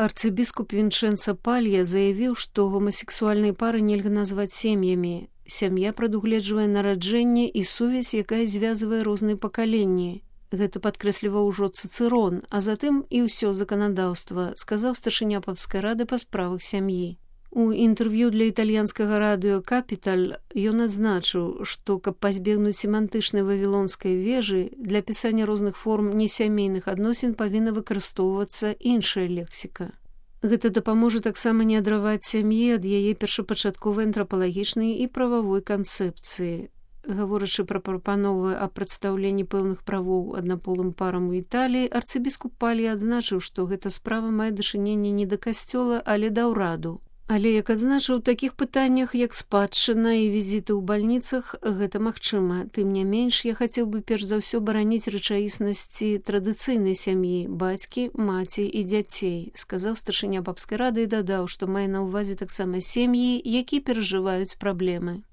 Арцыбіскуп Вінчэнца Палья заявіў, што гомасексуальныя пары нельга назваць сем'ямі. Сям'я прадугледжвае нараджэнне і сувязь, якая звязвае розныя пакаленні. Гэта падкрэсліваў ужо Цыцэрон, а затым і ўсё заканадаўства, сказаў старшыня папскай рады па справах сям'і. У інтэрв'ю для італьянскага радыё «Капіталь» ён адзначыў, што, каб пазбегнуць семантычнай вавілонскай вежы, для пісання розных форм несямейных адносін павінна выкарыстоўвацца іншая лексіка. Гэта дапаможа таксама не адраваць сям'і ад яе першапачатковай антрапалагічнай і прававой канцэпцыі. Гаворачы пра прапановы аб прадстаўленні пэўных правоў аднаполым парам у Італіі, арцыбіскуп Палья адзначыў, што гэта справа мае дачыненне не да касцёла, але да ўраду. Але, як адзначыў, у такіх пытаннях, як спадчына і візіты ў бальніцах, гэта магчыма. Тым не менш, я хацеў бы перш за ўсё бараніць рэчаіснасці традыцыйнай сям'і, бацькі, маці і дзяцей, сказаў старшыня папскай рады і дадаў, што мае на ўвазе таксама сем'і, якія перажываюць праблемы.